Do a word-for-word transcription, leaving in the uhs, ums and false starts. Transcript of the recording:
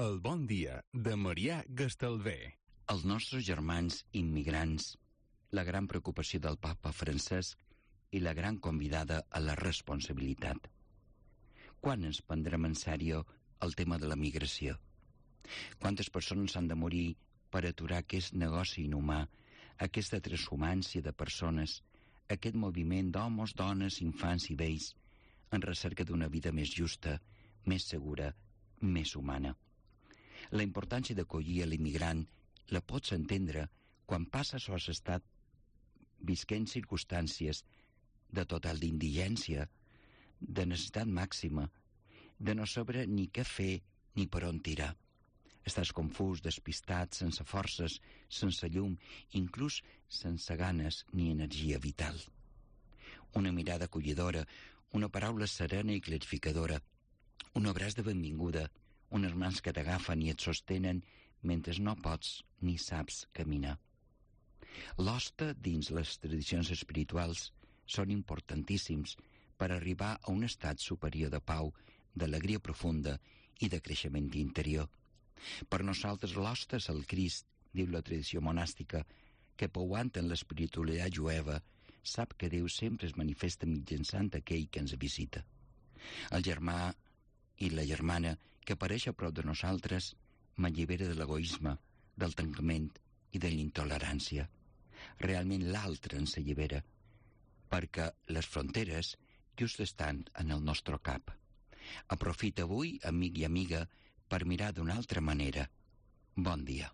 El bon dia de Marià Gastalver. Els nostres germans immigrants, la gran preocupació del papa Francesc i la gran convidada a la responsabilitat. Quan ens prendrem en sèrio el tema de la migració? Quantes persones han de morir per aturar aquest negoci inhumà, aquesta transhumància de persones, aquest moviment d'homes, dones, infants i vells en recerca d'una vida més justa, més segura, més humana? La importància d'acollir a l'immigrant la pots entendre quan passes o has estat visquent circumstàncies de total d'indigència, de necessitat màxima, de no saber ni què fer ni per on tirar. Estàs confús, despistat, sense forces, sense llum, inclús sense ganes ni energia vital. Una mirada acollidora, una paraula serena i clarificadora, un abraç de benvinguda, unes mans que t'agafen i et sostenen mentre no pots ni saps caminar. L'hoste dins les tradicions espirituals són importantíssims per arribar a un estat superior de pau, d'alegria profunda i de creixement interior. Per nosaltres l'hoste és el Crist, diu la tradició monàstica, que pouant en l'espiritualitat jueva sap que Déu sempre es manifesta mitjançant aquell que ens visita. El germà i la germana que apareix a prop de nosaltres m'allibera de l'egoisme, del tancament i de l'intolerància. Realment l'altre ens allibera, perquè les fronteres just estan en el nostre cap. Aprofita avui, amic i amiga, per mirar d'una altra manera. Bon dia.